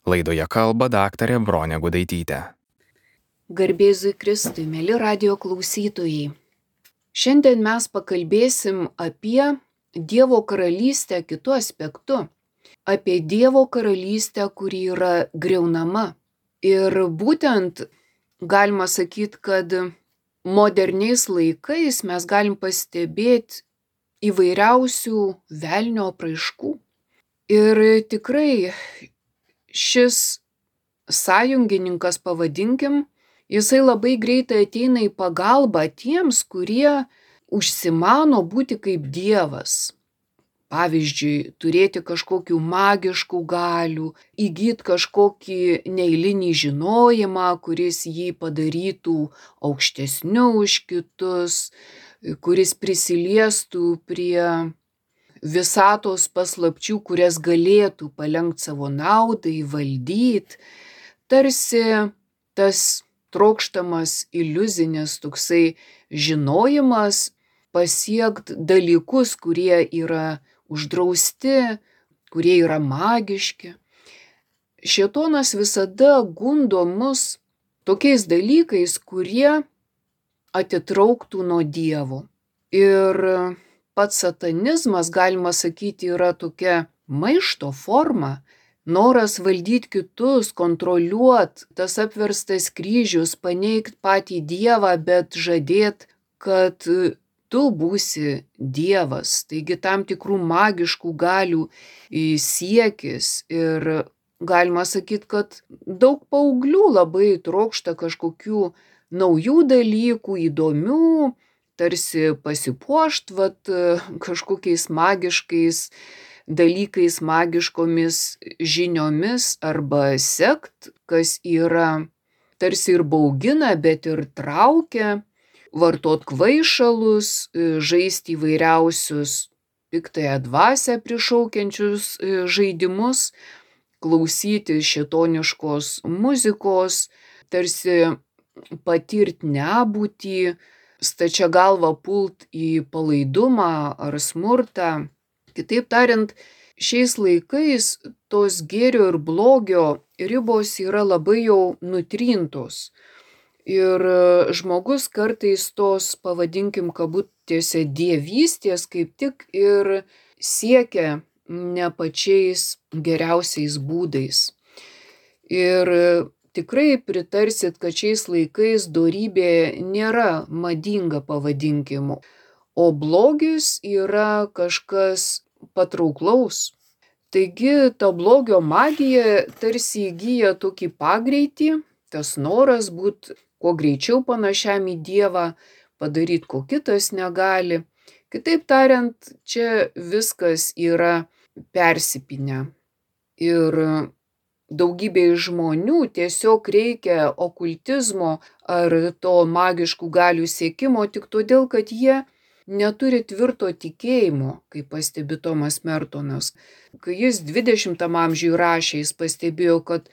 Laidoje kalba daktarė Bronė Gudaitytė. Garbėzui Kristui, mėly radijo klausytojai. Šiandien mes pakalbėsim apie Dievo karalystę kitu aspektu. Apie Dievo karalystę, kuri yra griaunama. Ir būtent galima sakyti, kad moderniais laikais mes galim pastebėti įvairiausių velnio apraiškų. Ir tikrai šis sąjungininkas, pavadinkim, jisai labai greitai ateina į pagalbą tiems, kurie užsimano būti kaip Dievas. Pavyzdžiui, turėti kažkokių magiškų galių, įgyti kažkokį neeilinį žinojimą, kuris jį padarytų aukštesniu už kitus, kuris prisiliestų prie visatos paslapčių, kurias galėtų palenkti savo naudai, valdyti. Tarsi tas trokštamas iliuzinis toksai žinojimas pasiekt dalykus, kurie yra uždrausti, kurie yra magiški. Šėtonas visada gundo mus tokiais dalykais, kurie atitrauktų nuo Dievo. Ir pats satanizmas, galima sakyti, yra tokia maišto forma, noras valdyti kitus, kontroliuoti, tas apverstas kryžius, paneigt patį Dievą, bet žadėt, kad tu būsi Dievas. Taigi tam tikrų magiškų galių siekis. Ir galima sakyti, kad daug paauglių labai trokšta kažkokių naujų dalykų, įdomių, tarsi pasipuošt kažkokiais magiškais dalykais, magiškomis žiniomis arba sekt, kas yra tarsi ir baugina, bet ir traukia, vartot kvaišalus, žaisti įvairiausius piktąją dvasią prišaukiančius žaidimus, klausyti šėtoniškos muzikos, tarsi patirt nebūtį, stačia galva pult į palaidumą ar smurtą. Kitaip tariant, šiais laikais tos gėrio ir blogio ribos yra labai jau nutrintos. Ir žmogus kartais tos, pavadinkim kabutėse, dievystės kaip tik ir siekia ne pačiais geriausiais būdais. Ir tikrai pritarsit, kad šiais laikais dorybė nėra madinga, pavadinkim, o blogis yra kažkas patrauklaus. Taigi ta blogio magija tarsi įgyja tokį pagreitį, tas noras būt kuo greičiau panašiam į Dievą, padaryti, ko kitas negali. Kitaip tariant, čia viskas yra persipynę. Ir daugybei žmonių tiesiog reikia okultizmo ar to magiškų galių siekimo tik todėl, kad jie neturi tvirto tikėjimo, kaip pastebi Tomas Mertonas. Kai jis 20 amžiuje rašė, jis pastebėjo, kad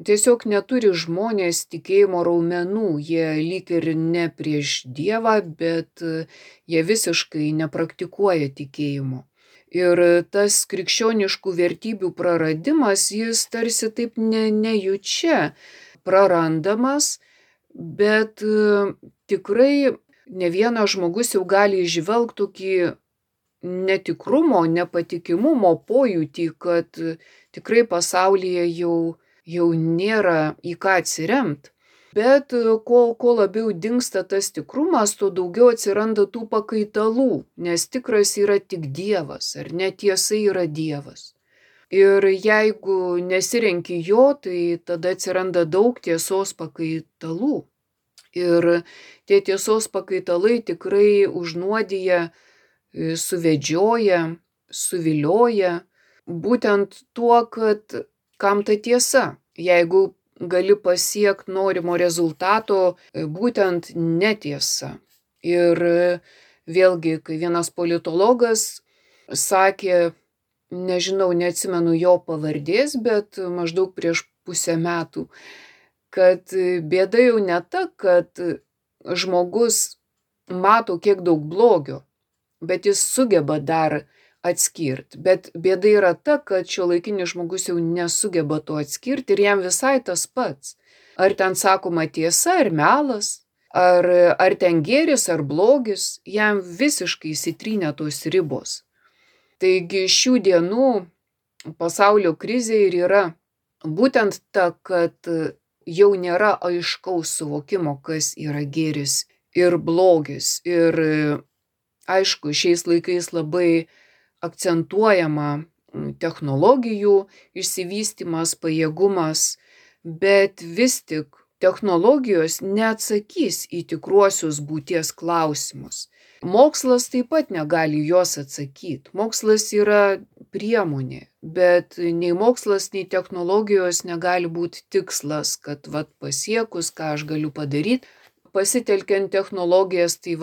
tiesiog neturi žmonės tikėjimo raumenų, jie lyg ir ne prieš Dievą, bet jie visiškai nepraktikuoja tikėjimo. Ir tas krikščioniškų vertybių praradimas, jis tarsi taip nejučia prarandamas, bet tikrai ne vienas žmogus jau gali įžvelgti tokį netikrumo, nepatikimumo pojūtį, kad tikrai pasaulyje jau nėra į ką atsiremt. Bet kuo labiau dingsta tas tikrumas, tuo daugiau atsiranda tų pakaitalų, nes tikras yra tik Dievas, ar netiesa yra Dievas. Ir jeigu nesirenki jo, tai tada atsiranda daug tiesos pakaitalų. Ir tie tiesos pakaitalai tikrai užnuodija, suvedžioja, suvilioja, būtent tuo, kad kam ta tiesa, jeigu gali pasiekti norimo rezultato būtent netiesa. Ir vėlgi, kai vienas politologas sakė, neatsimenu jo pavardės, bet maždaug prieš pusę metų, kad bėda jau ne ta, kad žmogus mato kiek daug blogio, bet jis sugeba dar atskirti. Bet bėda yra ta, kad šiuolaikinis žmogus jau nesugeba to atskirti ir jam visai tas pats. Ar ten sakoma tiesa ar melas, ar ten gėris ar blogis, jam visiškai įsitrynė tos ribos. Taigi šių dienų pasaulio krizė ir yra būtent ta, kad jau nėra aiškaus suvokimo, kas yra gėris ir blogis. Ir aišku, šiais laikais labai akcentuojama technologijų išsivystymas, pajėgumas, bet vis tik technologijos neatsakys į tikruosius būties klausimus. Mokslas taip pat negali juos atsakyti. Mokslas yra priemonė, bet nei mokslas, nei technologijos negali būti tikslas, kad pasiekus, ką aš galiu padaryti, pasitelkiant technologijas, tai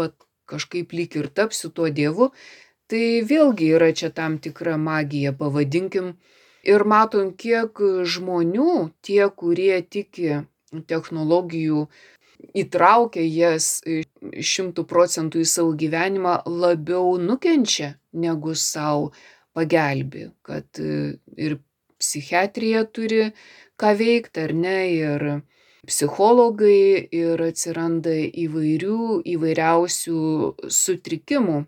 kažkaip lyg ir tapsiu tuo dievu. Tai vėlgi yra čia tam tikra magija, pavadinkim. Ir matom, kiek žmonių, tie, kurie tiki technologijų, įtraukia jas 100% į savo gyvenimą, labiau nukenčia, negu savo pagelbė. Kad ir psichiatrija turi ką veikti, ar ne, ir psichologai, ir atsiranda įvairiausių sutrikimų.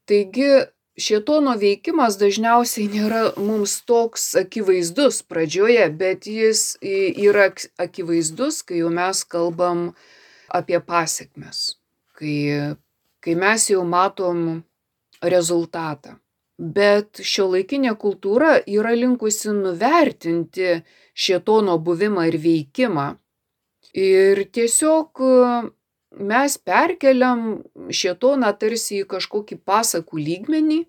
Taigi šėtono veikimas dažniausiai nėra mums toks akivaizdus pradžioje, bet jis yra akivaizdus, kai jau mes kalbam apie pasekmes, kai mes jau matom rezultatą. Bet šiuolaikinė kultūra yra linkusi nuvertinti šėtono buvimą ir veikimą. Ir tiesiog mes perkeliam šėtoną tarsi į kažkokį pasakų lygmenį,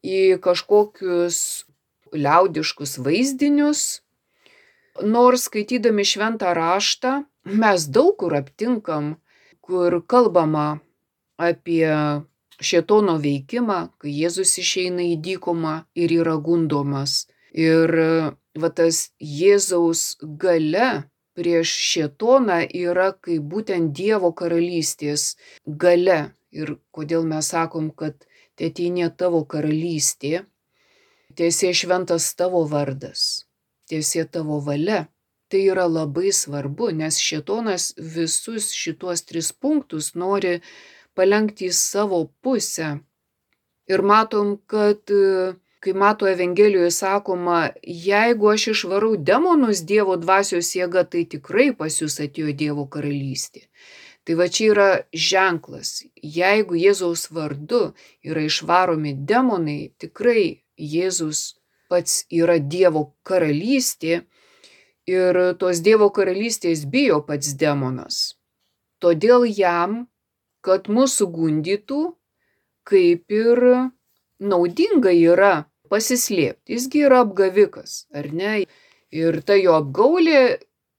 į kažkokius liaudiškus vaizdinius. Nors skaitydami šventą raštą mes daug kur aptinkam, kur kalbama apie šėtono veikimą, kai Jėzus išeina į dykumą ir yra gundomas. Ir tas Jėzaus galia prieš šėtoną yra kaip būtent Dievo karalystės galia. Ir kodėl mes sakom, kad teateinie tavo karalystė, tiesie šventas tavo vardas, tiesie tavo valia. Tai yra labai svarbu, nes šėtonas visus šitos 3 punktus nori palenkti į savo pusę. Ir matom, kad kai Mato Evangelijoje sakoma, jeigu aš išvarau demonus Dievo dvasios jėga, tai tikrai pas jūs atėjo Dievo karalystė. Tai čia yra ženklas. Jeigu Jėzaus vardu yra išvaromi demonai, tikrai Jėzus pats yra Dievo karalystė ir tos Dievo karalystės bijo pats demonas. Todėl jam, kad mūsų gundytų, kaip ir naudinga yra pasislėpti. Jisgi yra apgavikas, ar ne? Ir ta jo apgaulė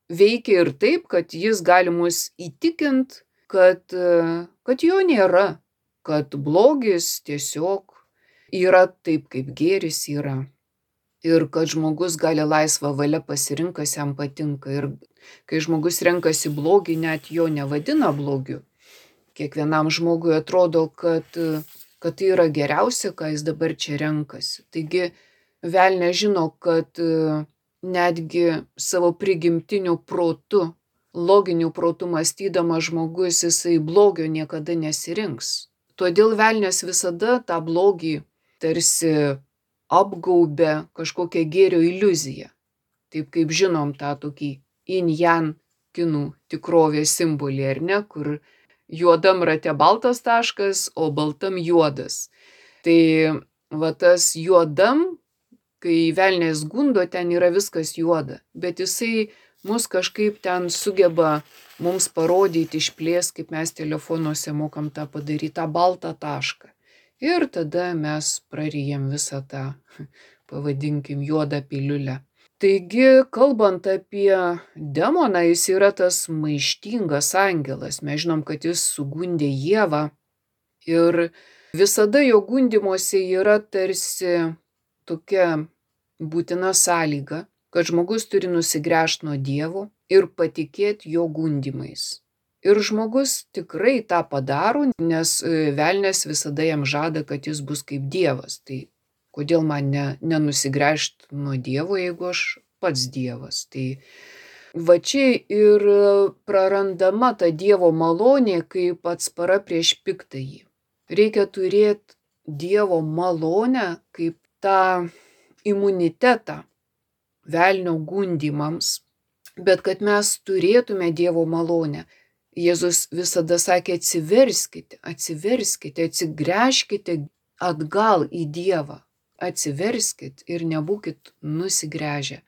veikia ir taip, kad jis gali mus įtikint, kad jo nėra, kad blogis tiesiog yra taip, kaip gėris yra. Ir kad žmogus gali laisvą valią pasirinkti, kas jam patinka. Ir kai žmogus renkasi blogį, net jo nevadina blogiu. Kiekvienam žmogui atrodo, kad tai yra geriausia, ką jis dabar čia renkasi. Taigi velnias žino, kad netgi savo prigimtiniu protu, loginiu protu mąstydamas žmogus, jisai blogio niekada nesirinks. Todėl velnias visada tą blogį tarsi apgaubia kažkokią gėrio iliuziją. Taip kaip žinom tą tokį yin-yang kinų tikrovės simbolį, ar ne, kur juodam rate baltas taškas, o baltam juodas. Tai tas juodam, kai velnias gundo, ten yra viskas juoda, bet jisai mus kažkaip ten sugeba mums parodyti, išplės, kaip mes telefonuose mokam tą padaryti, tą baltą tašką. Ir tada mes prarijam visą tą, pavadinkim, juodą piliulę. Taigi, kalbant apie demoną, jis yra tas maištingas angelas. Mes žinom, kad jis sugundė Ievą ir visada jo gundymuose yra tarsi tokia būtina sąlyga, kad žmogus turi nusigręžti nuo Dievo ir patikėti jo gundymais. Ir žmogus tikrai tą padaro, nes velnias visada jam žada, kad jis bus kaip Dievas. Tai kodėl man nenusigręžti nuo Dievo, jeigu aš pats Dievas? Tai va čia ir prarandama ta Dievo malonė kaip atspara prieš piktąjį. Reikia turėti Dievo malonę kaip tą imunitetą velnio gundymams, bet kad mes turėtume Dievo malonę. Jėzus visada sakė, atsiverskite, atsigręžkite atgal į Dievą, atsiverskit ir nebūkit nusigręžę.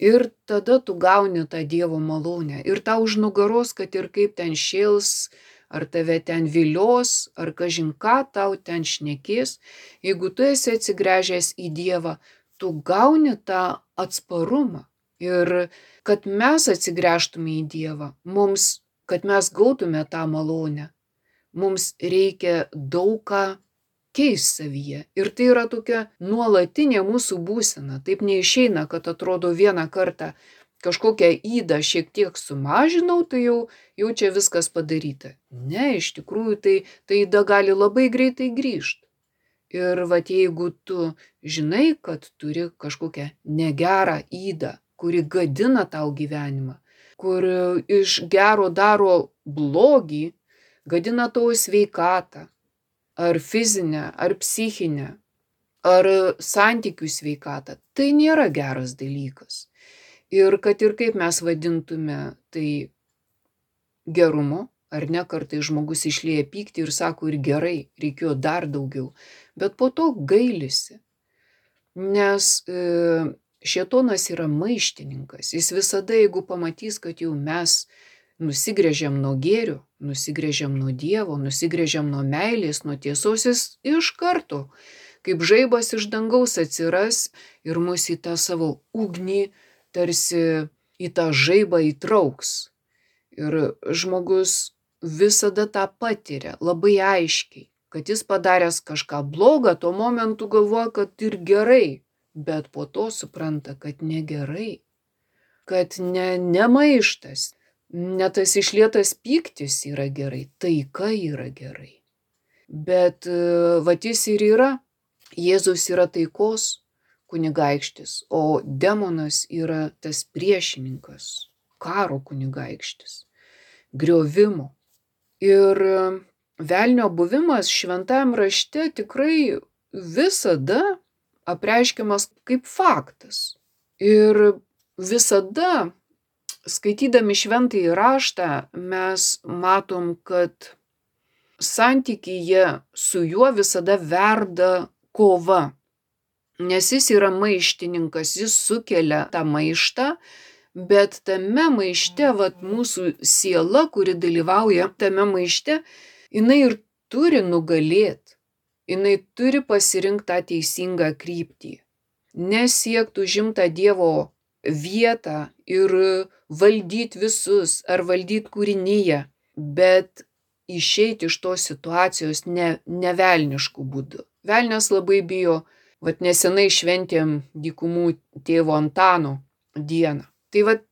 Ir tada tu gauni tą Dievo malonę. Ir tau už nugaros, kad ir kaip ten šėls, ar tave ten vilios, ar kažin ką tau ten šnekės, jeigu tu esi atsigręžęs į Dievą, tu gauni tą atsparumą. Ir kad mes atsigręžtume į Dievą, kad mes gautume tą malonę, mums reikia daug ką keisti savyje. Ir tai yra tokia nuolatinė mūsų būsena. Taip neišeina, kad atrodo vieną kartą kažkokią ydą šiek tiek sumažinau, tai jau čia viskas padaryta. Ne, iš tikrųjų tai yda gali labai greitai grįžti. Ir vat jeigu tu žinai, kad turi kažkokią negerą ydą, kuri gadina tau gyvenimą, kur iš gero daro blogį, gadina tavo sveikatą, ar fizinę, ar psichinę, ar santykių sveikatą, tai nėra geras dalykas. Ir kad ir kaip mes vadintume tai gerumu, ar ne, kartais žmogus išlieja pyktį ir sako, ir gerai, reikėjo dar daugiau, bet po to gailisi, nes šėtonas yra maištininkas. Jis visada, jeigu pamatys, kad jau mes nusigręžiam nuo gėrio, nusigręžiam nuo Dievo, nusigręžiam nuo meilės, nuo tiesos, jis iš karto, kaip žaibas iš dangaus atsiras ir mus į tą savo ugnį, tarsi į tą žaibą įtrauks. Ir žmogus visada tą patiria labai aiškiai, kad jis padaręs kažką blogą, tuo momentu galvoja, kad ir gerai, bet po to supranta, kad negerai, kad ne maištas, ne tas išlietas pyktis yra gerai, taika yra gerai. Bet vat jis ir yra, Jėzus yra taikos kunigaikštis, o demonas yra tas priešininkas, karo kunigaikštis, griovimo. Ir velnio buvimas šventajam rašte tikrai visada apreiškiamas kaip faktas. Ir visada, skaitydami šventąjį raštą, mes matom, kad santykyje su juo visada verda kova. Nes jis yra maištininkas, jis sukelia tą maištą, bet tame maište, vat mūsų siela, kuri dalyvauja tame maište, jinai ir turi nugalėti. Jinai turi pasirinkti tą teisingą kryptį. Nesiekti užimti tą Dievo vietą ir valdyti visus ar valdyti kūrinyje, bet išeiti iš tos situacijos ne velniškų būdų. Velnias labai bijo, vat nesenai šventėm dykumų tėvo Antano dieną. Tai vat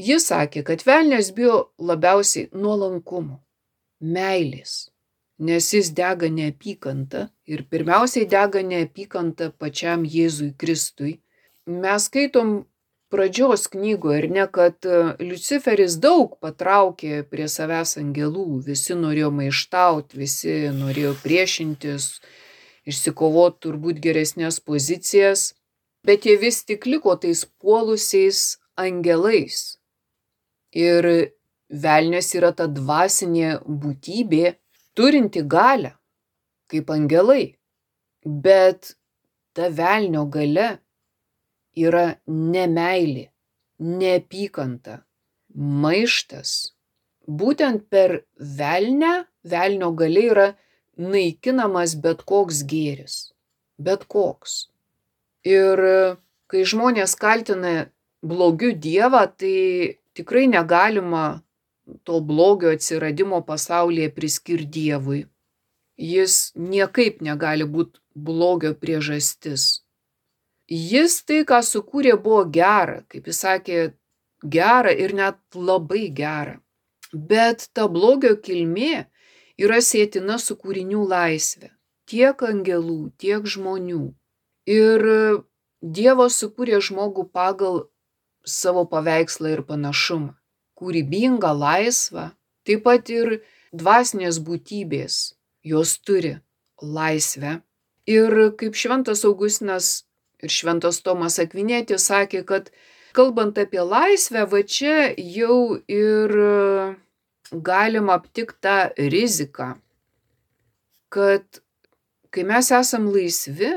jis sakė, kad velnias bijo labiausiai nuolankumo, meilės, nes jis dega neapykanta ir pirmiausiai dega neapykanta pačiam Jėzui Kristui. Mes skaitom pradžios knygoje, ir ne, kad Liuciferis daug patraukė prie savęs angelų, visi norėjo maištauti, visi norėjo priešintis, išsikovoti turbūt geresnės pozicijas, bet jie vis tik liko tais puolusiais angelais. Ir velnias yra ta dvasinė būtybė, turinti galią, kaip angelai, bet ta velnio galia yra nemeilė, neapykanta, maištas. Būtent per velnio galia yra naikinamas bet koks gėris, bet koks. Ir kai žmonės kaltina blogiu Dievą, tai tikrai negalima to blogio atsiradimo pasaulyje priskirti Dievui. Jis niekaip negali būti blogio priežastis. Jis tai, ką sukūrė, buvo gera, kaip jis sakė, gera ir net labai gera. Bet ta blogio kilmė yra sietina su kūrinių laisve. Tiek angelų, tiek žmonių. Ir Dievas sukūrė žmogų pagal savo paveikslą ir panašumą. Kūrybingą, laisvą. Taip pat ir dvasinės būtybės. Jos turi laisvę. Ir kaip šventas Augustinas ir šventas Tomas Akvinėtis sakė, kad kalbant apie laisvę, va čia jau ir galima aptikti tą riziką, kad kai mes esam laisvi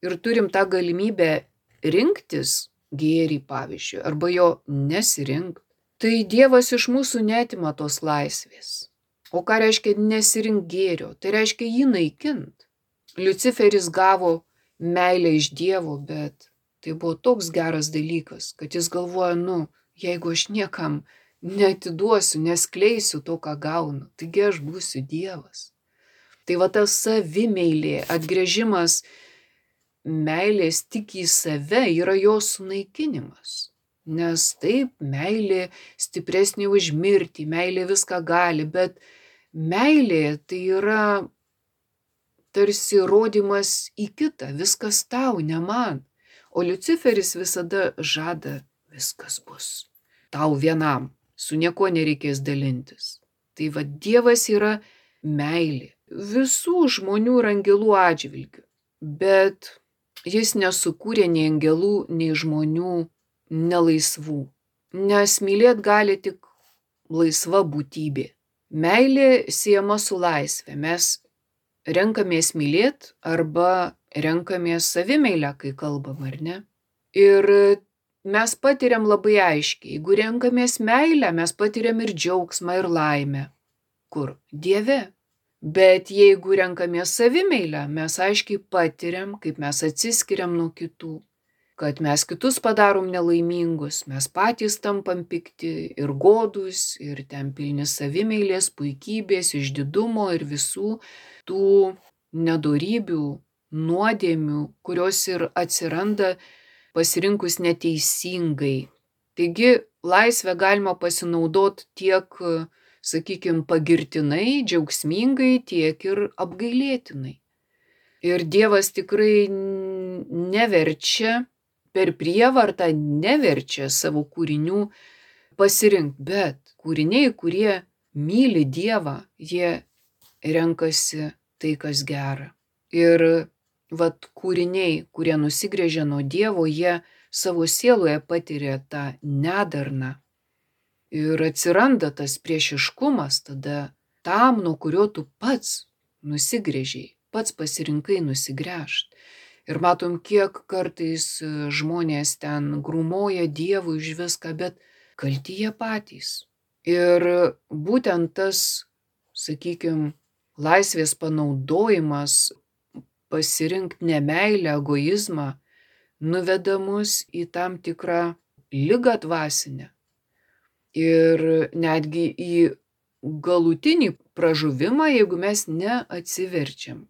ir turim tą galimybę rinktis gėrį, pavyzdžiui, arba jo nesirinkti, tai Dievas iš mūsų neatima tos laisvės. O ką reiškia nesirink gėrio? Tai reiškia jį naikint. Liuciferis gavo meilę iš Dievo, bet tai buvo toks geras dalykas, kad jis galvoja, jeigu aš niekam neatiduosiu, neskleisiu to, ką gaunu, taigi aš būsiu Dievas. Tai va tas savimeilė, atgręžimas meilės tik į save yra jos sunaikinimas. Nes taip, meilė stipresnė už mirtį, meilė viską gali, bet meilė tai yra tarsi rodymas į kitą, viskas tau, ne man. O Liuciferis visada žada, viskas bus tau vienam, su niekuo nereikės dalintis. Tai va Dievas yra meilė visų žmonių ir angelų atžvilgių, bet jis nesukūrė nei angelų, nei žmonių nelaisvų, nes mylėt gali tik laisva būtybė. Meilė siejama su laisvė, mes renkamės mylėt arba renkamės savimeilę, kai kalbam, ar ne? Ir mes patiriam labai aiškiai, jeigu renkamės meilę, mes patiriam ir džiaugsmą, ir laimę. Kur? Dieve. Bet jeigu renkamės savimeilę, mes aiškiai patiriam, kaip mes atsiskiriam nuo kitų, kad mes kitus padarom nelaimingus, mes patys tampam pikti ir godūs, ir ten pilni savimeilės, puikybės, išdidumo ir visų tų nedorybių, nuodėmių, kurios ir atsiranda pasirinkus neteisingai. Taigi laisvę galima pasinaudoti tiek, sakykime, pagirtinai, džiaugsmingai, tiek ir apgailėtinai. Ir Dievas tikrai neverčia, per prievartą neverčia savo kūrinių pasirinkti, bet kūriniai, kurie myli Dievą, jie renkasi tai, kas gera. Ir kūriniai, kurie nusigręžia nuo Dievo, jie savo sieloje patiria tą nedarną. Ir atsiranda tas priešiškumas tada tam, nuo kurio tu pats nusigręžiai, pats pasirinkai nusigręžt. Ir matom, kiek kartais žmonės ten grūmoja Dievui už viską, bet kalti jie patys. Ir būtent tas, sakykime, laisvės panaudojimas, pasirinkti nemeilę, egoizmą, nuveda mus į tam tikrą ligą dvasinę. Ir netgi į galutinį pražuvimą, jeigu mes neatsiverčiam.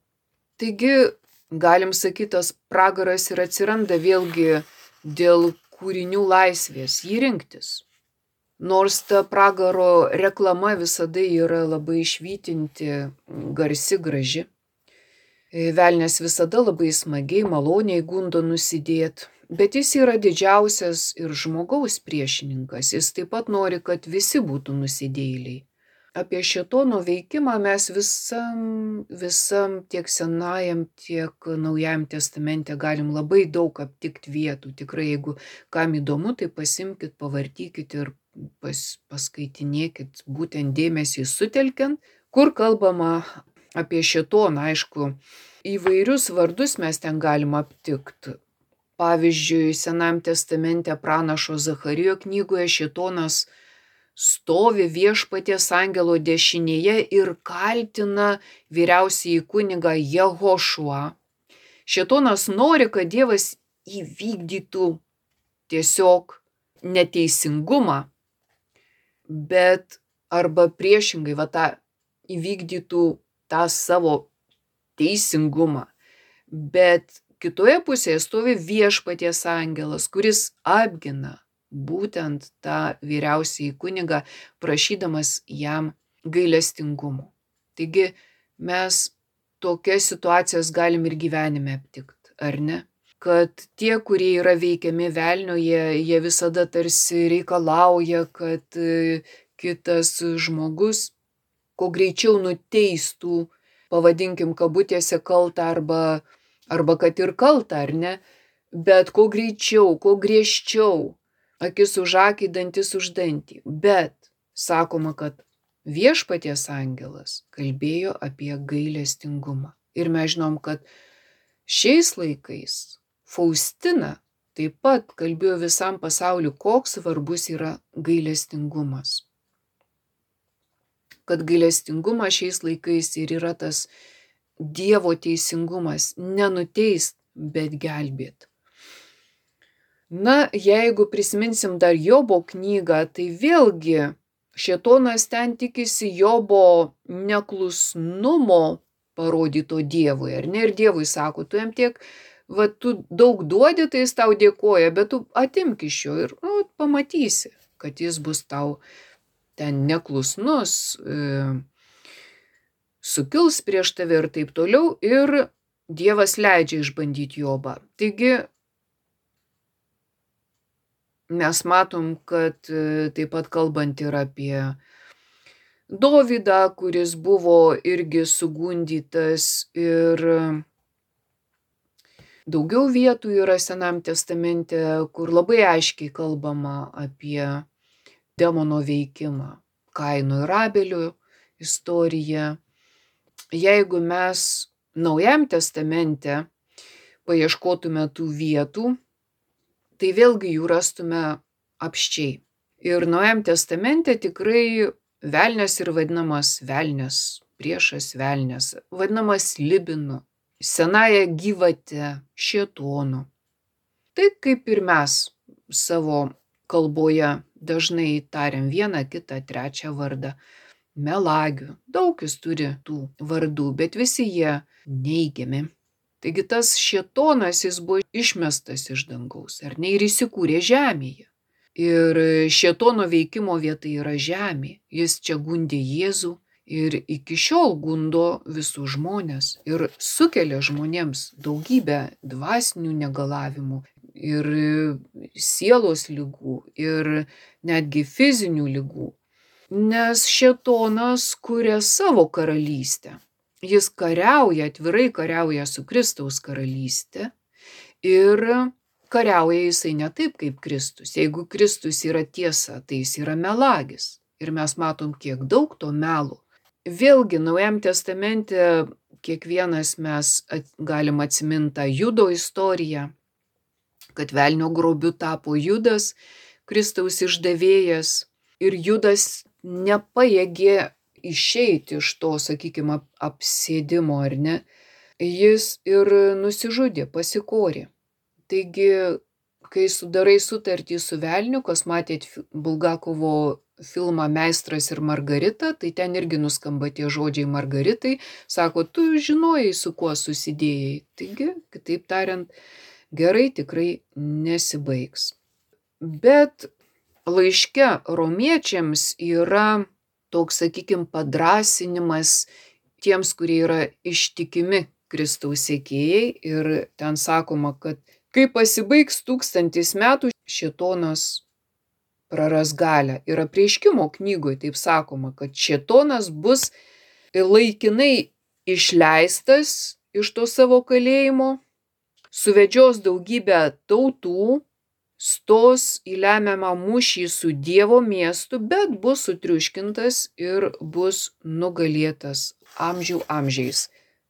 Taigi, galim sakyti, tas pragaras ir atsiranda vėlgi dėl kūrinių laisvės, jį rinktis. Nors ta pragaro reklama visada yra labai švytinti, garsi, graži. Velnias visada labai smagiai, maloniai gundo nusidėt, bet jis yra didžiausias ir žmogaus priešininkas. Jis taip pat nori, kad visi būtų nusidėjėliai. Apie šėtono veikimą mes visam tiek Senajam, tiek Naujajam testamente galim labai daug aptikti vietų. Tikrai, jeigu kam įdomu, tai pasimkit, pavartykit ir paskaitinėkit, būtent dėmesį sutelkiant, kur kalbama apie šėtoną. Aišku, įvairius vardus mes ten galim aptikti. Pavyzdžiui, Senajam testamente pranašo Zacharijo knygoje šėtonas stovi Viešpaties angelo dešinėje ir kaltina vyriausiąjį kunigą Jehošuą. Šėtonas nori, kad Dievas įvykdytų tiesiog neteisingumą, bet arba priešingai, įvykdytų tą savo teisingumą. Bet kitoje pusėje stovi Viešpaties angelas, kuris apgina būtent tą vyriausiąjį kunigą, prašydamas jam gailestingumo. Taigi mes tokias situacijas galim ir gyvenime aptikti, ar ne? Kad tie, kurie yra veikiami velnio, jie visada tarsi reikalauja, kad kitas žmogus kuo greičiau nuteistų, pavadinkim kabutėse kaltą arba kad ir kaltą, ar ne, bet kuo greičiau, kuo griežčiau, akis už akį, dantis už dantį. Bet sakoma, kad viešpaties angelas kalbėjo apie gailestingumą. Ir mes žinom, kad šiais laikais Faustina taip pat kalbėjo visam pasauliu, koks svarbus yra gailestingumas. Kad gailestingumas šiais laikais ir yra tas Dievo teisingumas, nenuteist, bet gelbėt. Na, jeigu prisiminsim dar Jobo knygą, tai vėlgi šėtonas ten tikisi Jobo neklusnumo parodyto Dievui, ar ne? Ir Dievui sako, tu jam tiek, tu daug duodi, tai jis tau dėkoja, bet tu atimk iš jo ir pamatysi, kad jis bus tau ten neklusnus, sukils prieš tave ir taip toliau, ir Dievas leidžia išbandyti Jobą. Taigi mes matom, kad taip pat kalbant ir apie Dovydą, kuris buvo irgi sugundytas, ir daugiau vietų yra Senam testamente, kur labai aiškiai kalbama apie demono veikimą. Kaino ir Abelio istorija. Jeigu mes Naujam testamente paieškotume tų vietų, tai vėlgi jų rastume apsčiai. Ir Naujam testamente tikrai velnias ir vadinamas velnias, priešas velnias, vadinamas Libinu, senąja gyvate, šėtonu. Tai kaip ir mes savo kalboje dažnai tariam vieną, kitą, trečią vardą. Melagių, daug jis turi tų vardų, bet visi jie neigiami. Taigi tas šėtonas, jis buvo išmestas iš dangaus, ar ne, ir įsikūrė žemėje. Ir šėtono veikimo vieta yra žemė. Jis čia gundė Jėzų ir iki šiol gundo visus žmonės ir sukelia žmonėms daugybę dvasinių negalavimų ir sielos ligų ir netgi fizinių ligų. Nes šėtonas kuria savo karalystę. Jis kariauja, atvirai kariauja su Kristaus karalystė ir kariauja jisai ne taip kaip Kristus. Jeigu Kristus yra tiesa, tai jis yra melagis. Ir mes matom, kiek daug to melo. Vėlgi, Naujam testamente kiekvienas mes galim atsiminti tą Judo istoriją, kad velnio grobiu tapo Judas, Kristaus išdavėjas, ir Judas nepajėgė išeiti iš to, sakykime, apsėdimo, ar ne? Jis ir nusižudė, pasikorė. Taigi, kai sudarai sutartį su velniu, kas matėt Bulgakovo filmą Meistras ir Margarita, tai ten irgi nuskamba tie žodžiai Margaritai, sako, tu žinojai, su kuo susidėjai. Taigi, kitaip tariant, gerai tikrai nesibaigs. Bet laiške romiečiams yra toks, sakykime, padrasinimas tiems, kurie yra ištikimi Kristaus sekėjai, ir ten sakoma, kad kai pasibaigs 1000 metų, šėtonas praras galią. Ir Apreiškimo knygoje taip sakoma, kad šėtonas bus laikinai išleistas iš to savo kalėjimo, suvedžios daugybę tautų, stos į lemiamą mūšį su Dievo miestu, bet bus sutriuškintas ir bus nugalėtas amžių amžiais.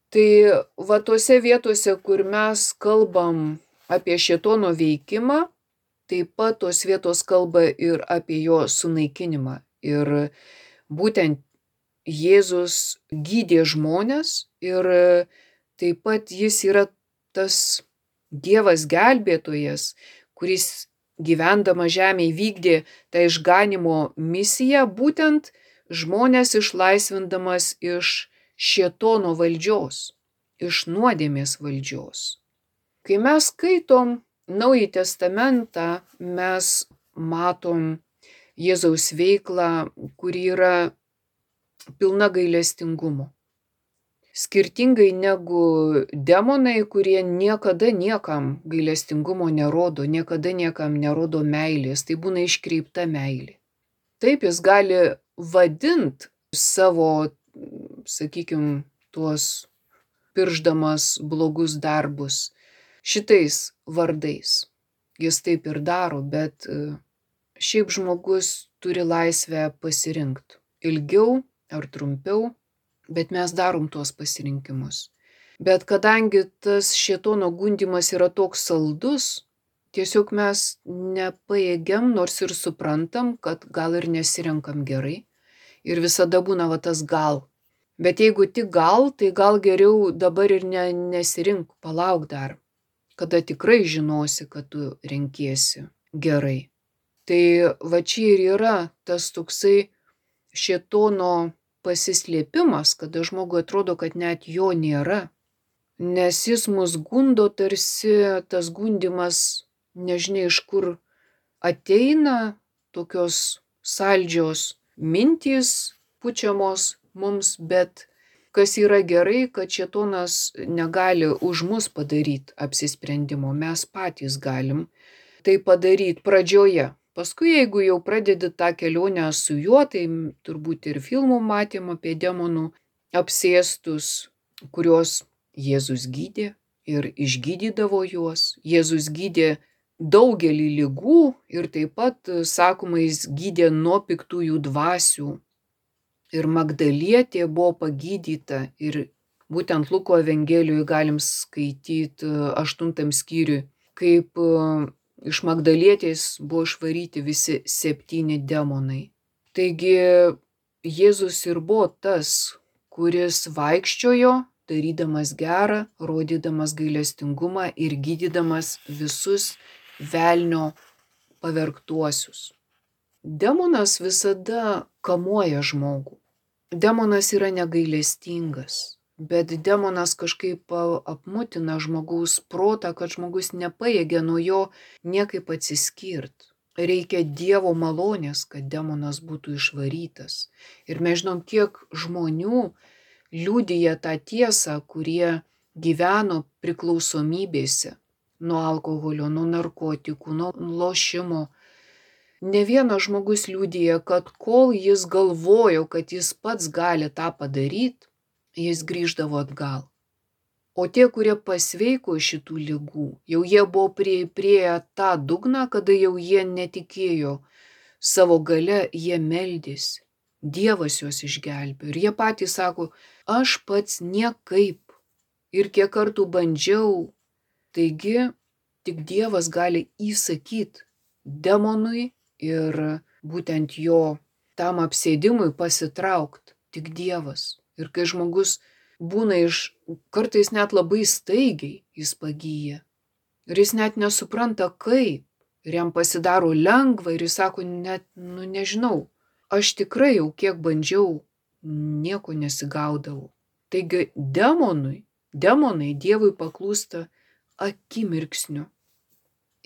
Tai va tose vietose, kur mes kalbam apie šėtono veikimą, taip pat tos vietos kalba ir apie jo sunaikinimą. Ir būtent Jėzus gydė žmones ir taip pat jis yra tas Dievas gelbėtojas, kuris gyvendama žemėje vykdė tą išganimo misiją, būtent žmonės išlaisvindamas iš šėtono valdžios, iš nuodėmės valdžios. Kai mes skaitom Naująjį testamentą, mes matom Jėzaus veiklą, kuri yra pilna gailestingumo. Skirtingai negu demonai, kurie niekada niekam gailestingumo nerodo, niekada niekam nerodo meilės, tai būna iškreipta meilė. Taip jis gali vadint savo, sakykime, tuos piršdamas blogus darbus šitais vardais. Jis taip ir daro, bet šiaip žmogus turi laisvę pasirinkti ilgiau ar trumpiau, bet mes darom tuos pasirinkimus. Bet kadangi tas šėtono gundymas yra toks saldus, tiesiog mes nepajėgiam, nors ir suprantam, kad gal ir nesirenkam gerai. Ir visada būna va tas gal. Bet jeigu tik gal, tai gal geriau dabar ir nesirink, palauk dar, kada tikrai žinosi, kad tu renkiesi gerai. Tai va čia ir yra tas toksai šėtono pasislėpimas, kada žmogui atrodo, kad net jo nėra. Nes jis mus gundo, tarsi tas gundimas nežinia iš kur ateina, tokios saldžios mintys pučiamos mums, bet kas yra gerai, kad šėtonas negali už mus padaryti apsisprendimo, mes patys galim tai padaryti pradžioje. Paskui, jeigu jau pradedi tą kelionę su juo, tai turbūt ir filmų matėm apie demonų apsėstus, kuriuos Jėzus gydė ir išgydydavo juos. Jėzus gydė daugelį ligų ir taip pat, sakoma, jis gydė nuo piktųjų dvasių. Ir Magdalietė buvo pagydyta ir būtent Luko Evangelijoje galim skaityti 8 skyriui, kaip iš Magdalietės buvo išvaryti visi 7 demonai. Taigi Jėzus ir buvo tas, kuris vaikščiojo, darydamas gerą, rodydamas gailestingumą ir gydydamas visus velnio pavergtuosius. Demonas visada kamuoja žmogų. Demonas yra negailestingas. Bet demonas kažkaip apmutina žmogaus protą, kad žmogus nepajėgia nuo jo niekaip atsiskirt. Reikia Dievo malonės, kad demonas būtų išvarytas. Ir mes žinom, kiek žmonių liudija tą tiesą, kurie gyveno priklausomybėse nuo alkoholio, nuo narkotikų, nuo lošimo. Ne vienas žmogus liudija, kad kol jis galvojo, kad jis pats gali tą padaryti, jis grįždavo atgal. O tie, kurie pasveiko šitų ligų, jau jie buvo prieėję tą dugną, kada jau jie netikėjo savo gale, jie meldėsi. Dievas juos išgelbėjo. Ir jie patys sako, aš pats niekaip. Ir kiek kartų bandžiau. Taigi, tik Dievas gali įsakyti demonui ir būtent jo tam apsėdimui pasitraukti. Tik Dievas. Ir kai žmogus būna kartais net labai staigiai jis pagyja. Ir jis net nesupranta kaip. Ir jam pasidaro lengva ir jis sako, net, nežinau, aš tikrai jau kiek bandžiau, nieko nesigaudavau. Taigi demonai Dievui paklūsta akimirksniu.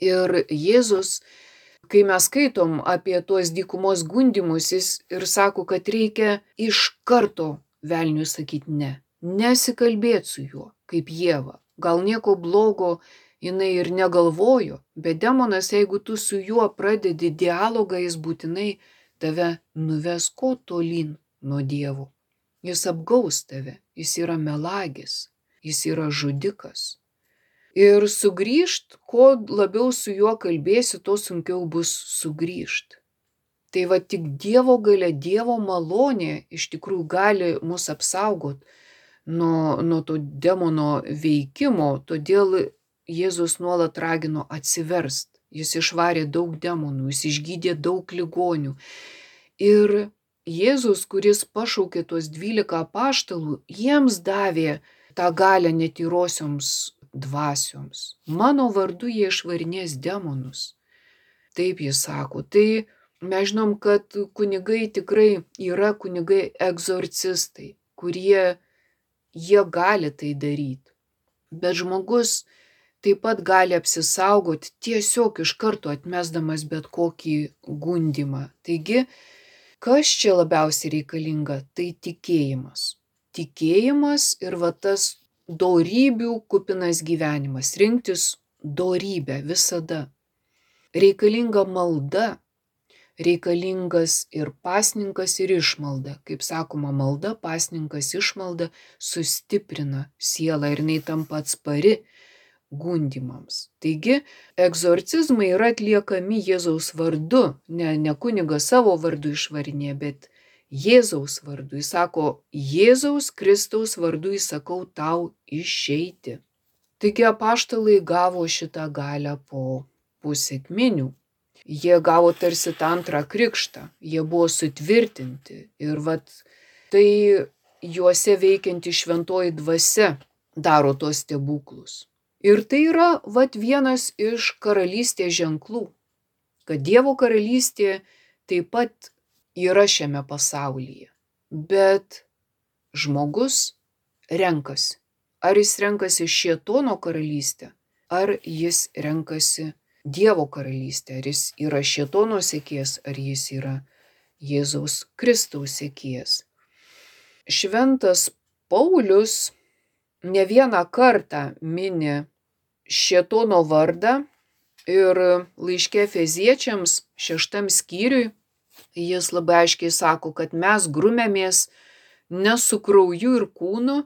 Ir Jėzus, kai mes skaitom apie tuos dykumos gundymus, jis ir sako, kad reikia iš karto velniui sakyti ne. Nesikalbėti su juo, kaip Ieva. Gal nieko blogo jinai ir negalvojo, bet demonas, jeigu tu su juo pradedi dialogą, jis būtinai tave nuves ko tolyn nuo Dievo. Jis apgaus tave, jis yra melagis, jis yra žudikas. Ir sugrįžt, kuo labiau su juo kalbėsi, tuo sunkiau bus sugrįžt. Tai va tik Dievo galia, Dievo malonė iš tikrųjų gali mus apsaugot nuo to demono veikimo, todėl Jėzus nuolat ragino atsiverst. Jis išvarė daug demonų, jis išgydė daug ligonių. Ir Jėzus, kuris pašaukė tuos 12 apaštalų, jiems davė tą galią netyrosioms dvasioms. Mano vardu jie išvarinės demonus. Taip jis sako. Tai mes žinom, kad kunigai tikrai yra kunigai egzorcistai, kurie jie gali tai daryti. Bet žmogus taip pat gali apsisaugoti tiesiog iš karto atmesdamas bet kokį gundymą. Taigi, kas čia labiausiai reikalinga? Tai tikėjimas. Tikėjimas ir tas dorybių kupinas gyvenimas. Rinktis dorybę visada. Reikalinga malda. Reikalingas ir pasninkas, ir išmalda. Kaip sakoma, malda, pasninkas, išmalda sustiprina sielą ir jinai tampa atspari gundymams. Taigi, egzorcizmai yra atliekami Jėzaus vardu. Ne kunigas savo vardu išvarinė, bet Jėzaus vardu. Jis sako, Jėzaus Kristaus vardu įsakau tau išeiti. Taigi apaštalai gavo šitą galią po sekminių. Jie gavo tarsi tą antrą krikštą, jie buvo sutvirtinti ir tai juose veikianti šventoji dvasia daro tos stebuklus. Ir tai yra vienas iš karalystės ženklų, kad Dievo karalystė taip pat yra šiame pasaulyje, bet žmogus renkasi. Ar jis renkasi šėtono karalystę, ar jis renkasi Dievo karalystė, ar jis yra šėtono sekėjas, ar jis yra Jėzaus Kristaus sekėjas. Šventas Paulius ne vieną kartą mini šėtono vardą ir laiške Efeziečiams 6 skyriui jis labai aiškiai sako, kad mes grumėmės ne su krauju ir kūnu,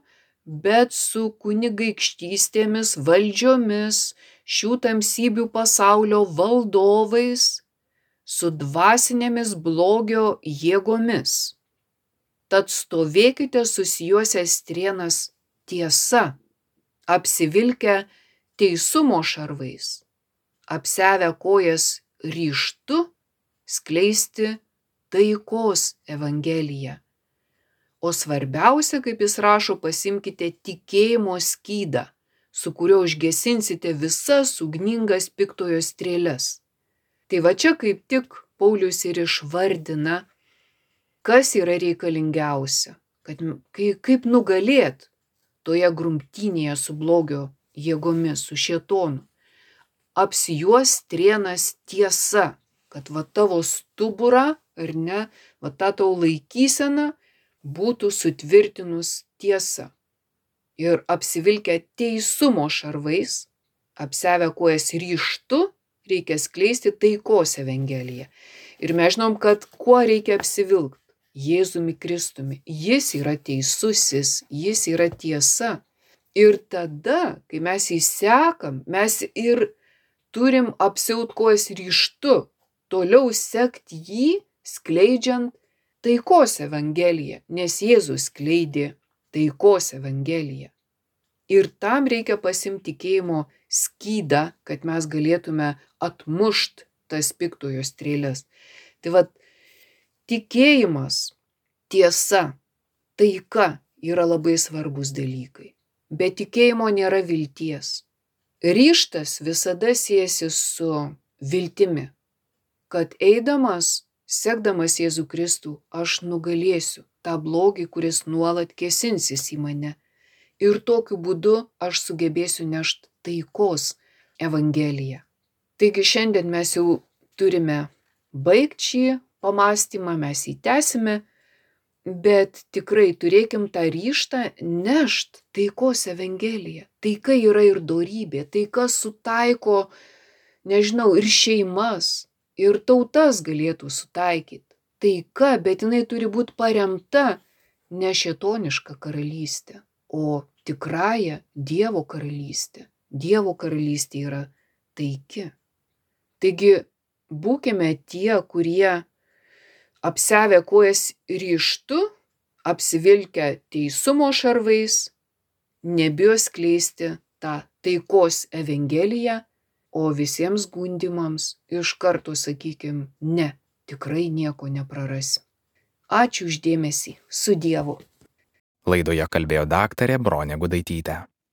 bet su kunigaikštystėmis, valdžiomis, šių tamsybių pasaulio valdovais, su dvasinėmis blogio jėgomis. Tad stovėkite susijuosę strėnas tiesa, apsivilkę teisumo šarvais, apsiavę kojas ryžtu skleisti taikos evangeliją. O svarbiausia, kaip jis rašo, pasimkite tikėjimo skydą, su kuriuo užgesinsite visas ugningas piktojo strėles. Tai čia kaip tik Paulius ir išvardina, kas yra reikalingiausia, kad kaip nugalėti toje grumtynėje su blogio jėgomis, su šėtonu. Apsijuos strėnas tiesa, kad tavo stuburą, ar ne, ta tavo laikysena būtų sutvirtinus tiesa. Ir apsivilkę teisumo šarvais, apsiavę kojas ryžtu, reikia skleisti taikos evangeliją. Ir mes žinom, kad kuo reikia apsivilkti? Jėzumi Kristumi. Jis yra teisusis, jis yra tiesa. Ir tada, kai mes jį sekam, mes ir turim apsiaut kojas ryžtu, toliau sekti jį, skleidžiant taikos evangeliją, nes Jėzus skleidė taikos evangeliją. Ir tam reikia pasimti tikėjimo skydą, kad mes galėtume atmušt tas piktojo strėles. Tai tikėjimas, tiesa, taika yra labai svarbus dalykai. Be tikėjimo nėra vilties. Ryžtas visada siejasi su viltimi, kad eidamas, sekdamas Jėzų Kristų, aš nugalėsiu tą blogį, kuris nuolat kėsinsis į mane. Ir tokiu būdu aš sugebėsiu nešti taikos evangeliją. Taigi šiandien mes jau turime baigti šį pamąstymą, mes jį tęsime, bet tikrai turėkim tą ryžtą nešti taikos evangeliją. Taika yra ir dorybė, taika sutaiko, ir šeimas, ir tautas galėtų sutaikyti. Taika, bet jinai turi būti paremta ne šėtoniška karalystė, o tikrąja Dievo karalystė. Dievo karalystė yra taiki. Taigi būkime tie, kurie apsiavę kojas ryžtu, apsivilkę teisumo šarvais, nebijo skleisti tą taikos evangeliją, o visiems gundymams iš karto sakykim, ne, tikrai nieko neprarasim. Ačiū už dėmesį. Su Dievu. Laidoje kalbėjo daktarė Bronė Gudaitytė.